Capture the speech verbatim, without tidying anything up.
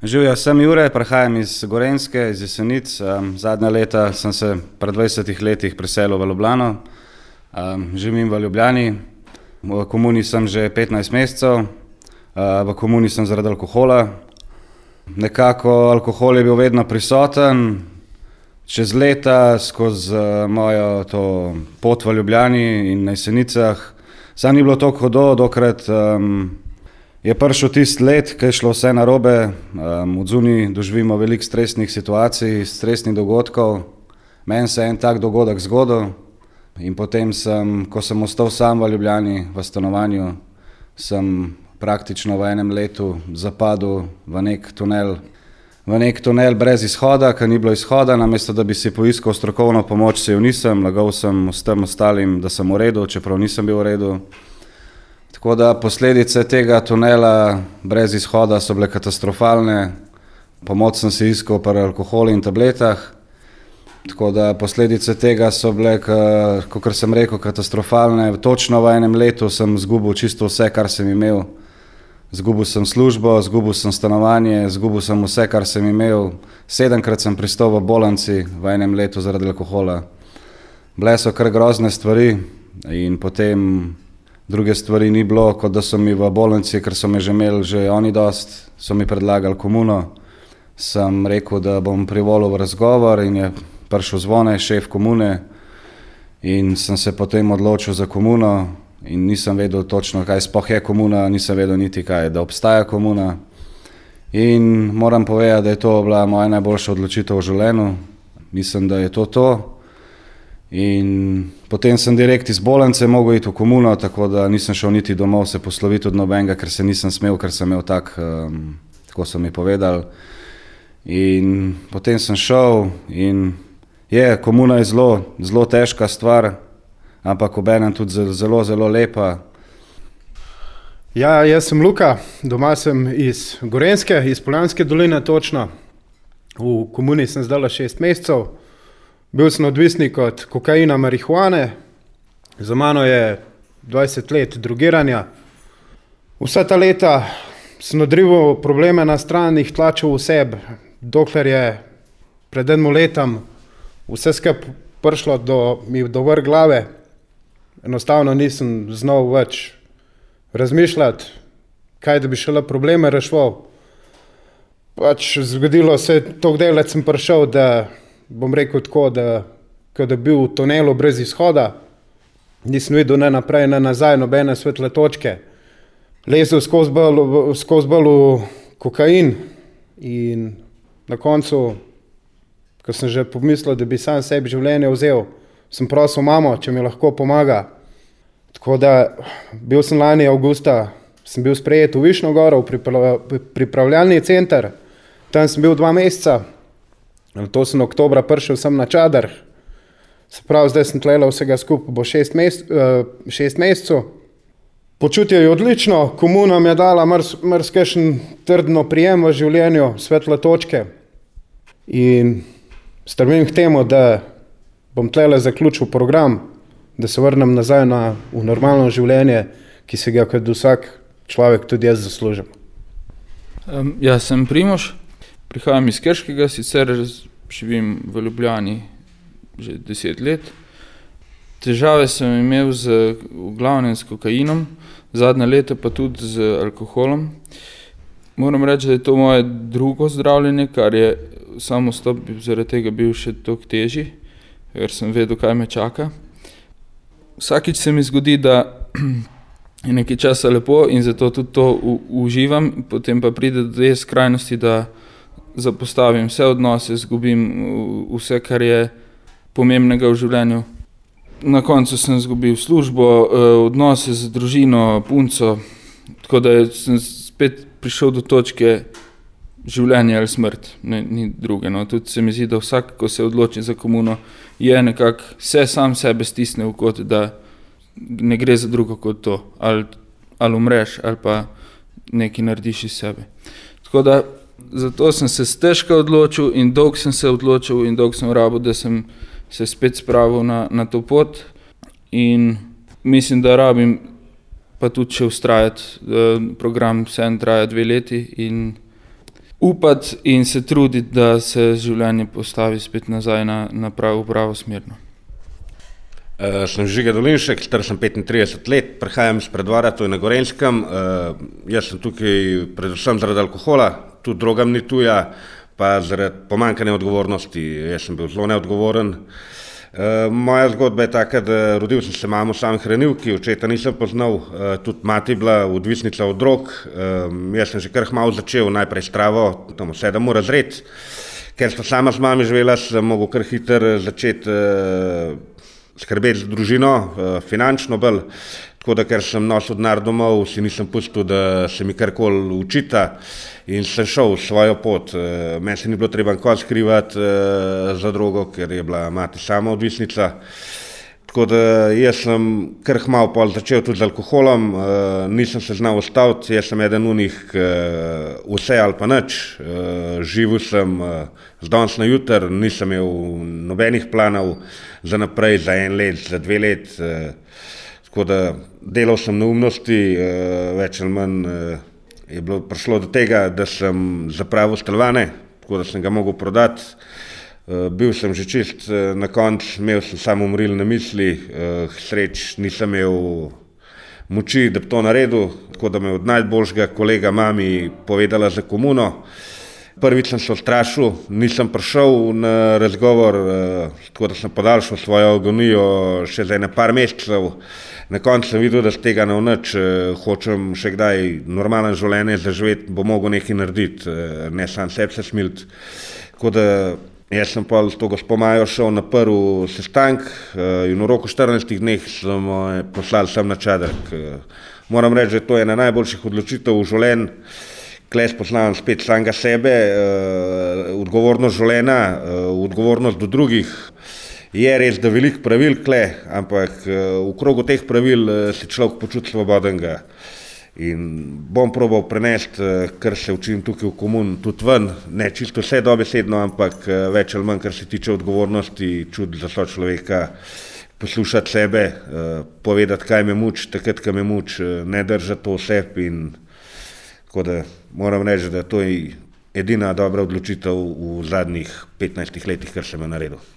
Živijo, sem Jure, prihajam iz Gorenjske, iz Jesenic. Um, zadnja leta sem se pred dvajsetih letih preselil v Ljubljano. Um, živim v Ljubljani, v komuni sem že petnajst mesecev, uh, v komuni sem zaradi alkohola. Nekako alkohol je bil vedno prisoten, čez leta skozi uh, mojo to pot v Ljubljani in na Jesenicah. Sam ni bilo toliko hudo, dokrat um, je prišel tisti let, ko je šlo vse narobe. Um, od zunaj doživimo veliko stresnih situacij, stresnih dogodkov. Meni se je en tak dogodek zgodil in potem sem, ko sem ostal sam v Ljubljani, v stanovanju, sem praktično v enem letu zapadel v nek tunel, v nek tunel brez izhoda, ker ni bilo izhoda. Namesto da bi si poiskal strokovno pomoč, se jo nisem, lagal sem s tem ostalim, da sem v redu, čeprav nisem bil v redu. Tako da posledice tega tunela brez izhoda so bile katastrofalne. Pomoč sem si iskal pri alkoholu in tabletah. Tako da posledice tega so bile, kakor sem rekel, katastrofalne. Točno v enem letu sem zgubil čisto vse, kar sem imel. Zgubil sem službo, zgubil sem stanovanje, zgubil sem vse, kar sem imel. Sedemkrat sem pristal v bolnici v enem letu zaradi alkohola. Bile so kar grozne stvari in potem druge stvari ni bilo, kot da so mi v bolnici, ker so me že imeli že oni dost, so mi predlagali komuno. Sem rekel, da bom privolil v razgovor in je prišel Zvone, šef komune, in sem se potem odločil za komuno in nisem vedel točno, kaj sploh je komuna, nisem vedel niti kaj, da obstaja komuna. In moram povedati, da je to bila moja najboljša odločitev v življenju. Mislim, da je to to. In potem sem direkt iz bolnice mogel iti v komuno, tako da nisem šel niti domov se posloviti od nobenega, ker se nisem smel, ker sem imel tak, um, tako so mi povedali. In potem sem šel in je, komuna je zelo, zelo težka stvar, ampak obenem tudi zelo, zelo lepa. Ja, jaz sem Luka, doma sem iz Gorenjske, iz Poljanske doline točno. V komuni sem zdaj šest mesecev. Bil sem odvisnik od kokaina, marihuane, za mano je dvajset let drogiranja. Vsa ta leta sem odrival probleme na stran, jih tlačil v sebi, dokler je pred enim letom vse skup prišlo do, mi do vrh glave. Enostavno nisem znal več razmišljati, kaj da bi šele probleme rešval. Pač zgodilo se je, toliko daleč sem prišel, da bom rekel tako, da kada bil v tunelu brez izhoda, nisem videl ne naprej, ne nazaj, nobene svetle točke. Lezel skozi bolj, skozi bolj v kokain in na koncu, ko sem že pomislil, da bi sam sebi življenje vzel, sem prosil mamo, če mi lahko pomaga. Tako da bil sem lani avgusta, sem bil sprejet v Višnjo Goro, v pripravljalni center, tam sem bil dva meseca. To sem oktobra prišel sem na Čader, se pravi, zdaj sem tlele vsega skupaj, bo šest, mes, šest mesecev. Počutje je odlično, komuna mi je dala marsikakšen trdno prijem v življenju, svetle točke in strmim k temu, da bom tlele zaključil program, da se vrnem nazaj na, v normalno življenje, ki se ga kot vsak človek tudi jaz zaslužim. Um, jaz sem Primož. Prihajam iz Krškega, sicer živim v Ljubljani že deset let. Težave sem imel z, v glavnem s kokainom, zadnja leta pa tudi z alkoholom. Moram reči, da je to moje drugo zdravljenje, kar je samo stop zaradi tega bil še toliko težji, ker sem vedel, kaj me čaka. Vsakič se mi zgodi, da je nekaj časa lepo in zato tudi to u, uživam, potem pa pride do te skrajnosti, da zapostavim vse odnose, zgubim vse, kar je pomembnega v življenju. Na koncu sem zgubil službo, odnose z družino, punco, tako da sem spet prišel do točke življenje ali smrt, ne, ni druge. No. Tudi se mi zdi, da vsak, ko se odloči za komuno, je nekako vse sam sebe stisne v kot, da ne gre za drugo kot to, ali, ali umreš, ali pa nekaj narediš iz sebe. Tako da zato sem se stežka odločil in dolgo sem se odločil in dolgo sem rabil, da sem se spet spravil na, na to pot in mislim, da rabim pa tudi še ustrajati. Program vseeno traja dve leti in upati in se truditi, da se življenje postavi spet nazaj na, na pravo, pravo smerno. Uh, sem Žiga Dolinšek, star sem petintrideset let, prihajam iz Preddvora, to je na Gorenjskem. Uh, jaz sem tukaj predvsem zaradi alkohola, tudi drogam ni tuja, pa zaradi pomanjkanja odgovornosti. Jaz sem bil zelo neodgovoren. Uh, moja zgodba je taka, da rodil sem se mamo sami hranilki, očeta nisem poznal, uh, tudi mati je bila odvisnica od drog. Uh, jaz sem že kar malo začel, najprej s travo, tam sedem ur razred. Ker sem sama z mami živela, sem mogel kar hitro začeti uh, skrbeti za družino, finančno bolj, tako da ker sem nosil denar domov, si nisem pustil, da se mi karkoli učita in sem šel svojo pot. Meni se ni bilo treba nikoli skrivati za drogo, ker je bila mati sama odvisnica. Tako da jaz sem kar kmalu pol začel tudi z alkoholom, nisem se znal ustaviti, jaz sem eden unih vse ali pa nič, živel sem z danes na jutr, nisem imel nobenih planov za naprej, za en let, za dve let, tako da delal sem neumnosti, več ali manj je bilo prišlo do tega, da sem zapravil stanovanje, tako da sem ga mogel prodati. Bil sem že čist na koncu, imel sem samo umrilne misli, sreč nisem imel moči, da bi to naredil, tako da me od najboljšega kolega mami povedala za komuno. Prvič sem se ustrašil, nisem prišel na razgovor, tako da sem podaljšal svojo agonijo še za ene par mesecev. Na koncu sem videl, da z tega ne nič, hočem še kdaj normalno življenje zaživeti, bo mogel nekaj narediti, ne sam sebi se smiliti. Tako da jaz sem pa s to gospo Majo šel na prvi sestanek in v roku štirinajstih dneh sem poslali sem na Čadek. Moram reči, da je to ena najboljših odločitev v življenju. Kle spoznavam spet samega sebe, odgovornost življenja, odgovornost do drugih. Je res, da veliko pravil kle, ampak v krogu teh pravil se človek počuti svobodenega. In bom probal prenesti, kar se učim tukaj v komuni, tudi ven, ne čisto vse dobesedno, ampak več ali manj, kar se tiče odgovornosti, čut za sočloveka, poslušati sebe, povedati, kaj me muči, takrat, kaj me muči, ne držati to vseb. In tako da moram reči, da to je edina dobra odločitev v zadnjih petnajstih letih, kar sem jo naredil.